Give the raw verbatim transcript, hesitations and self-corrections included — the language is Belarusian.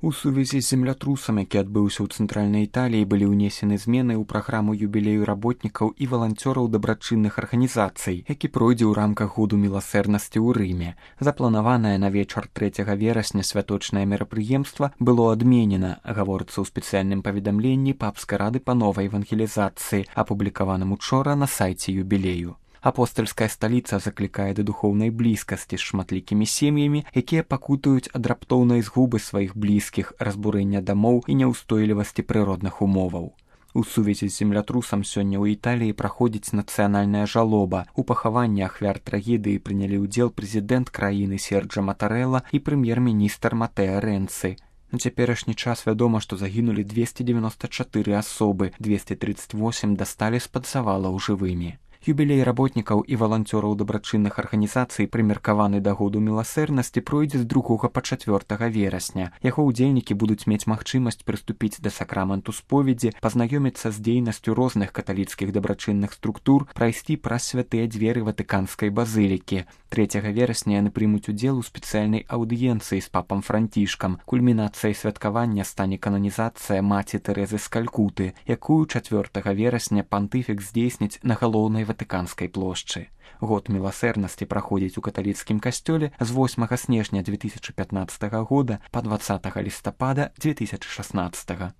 У сувязі з землятрусам, які адбыўся ў цэнтральнай Італіі, былі ўнесены змены ў праграму юбілею работнікаў і валанцёраў дабрачынных арганізацый, які пройдзе ў рамках году міласэрнасці ў Рыме. Запланаванае на вечар трэцяга верасня святочнае мерапрыемства было адменена, гаворыцца ў спецыяльным паведамленні папскай рады па новай евангелізацыі, апублікаваным учора на сайце юбілею. Апостальская сталіца заклікае да духоўнай блізкасці з шматлікімі сем'ямі, якія пакутаюць ад раптоўнай згубы сваіх блізкіх, разбурэння дамоў і няўстойлівасці прыродных умоваў. У сувязі з землятрусам сёння ў Італіі праходзіць нацыянальная жалоба. У пахаванні ахвяр трагедыі прынялі ўдзел прэзідэнт краіны Серджа Матарэла і прэм'ер-міністр Матэа Рэнцы. На цяперашні час вядома, што загінулі дзвесце дзевяноста чатыры асобы, дзвесце трыццаць восем дасталі з-пад завалаў жывымі. Юбілей работнікаў і валанцёраў дабрачынных арганізацый, прымеркаваны да году міласэрнасці, пройдзе з другога па чацвёртага верасня. Яго ўдзельнікі будуць мець магчымасць прыступіць да сакраменту споведзі, пазнаёміцца з дзейнасцю розных каталіцкіх дабрачынных структур, прайсці праз святыя дзверы ватыканскай базылікі. трэцяга верасня яны прымуць удзел у спецыяльнай аўдыенцыі з папам Францішкам. Кульмінацыяй святкавання стане кананізацыя маці Тэрэзы з Калькуты, якую чацвёртага верасня пантыфік здзейсніць на галоўнай ватыканскай плошчы. Год міласэрнасці праходзіць у каталіцкім касцёле з восьмага снежня дзве тысячы пятнаццатага года па дваццатага лістапада дзве тысячы шаснаццатага.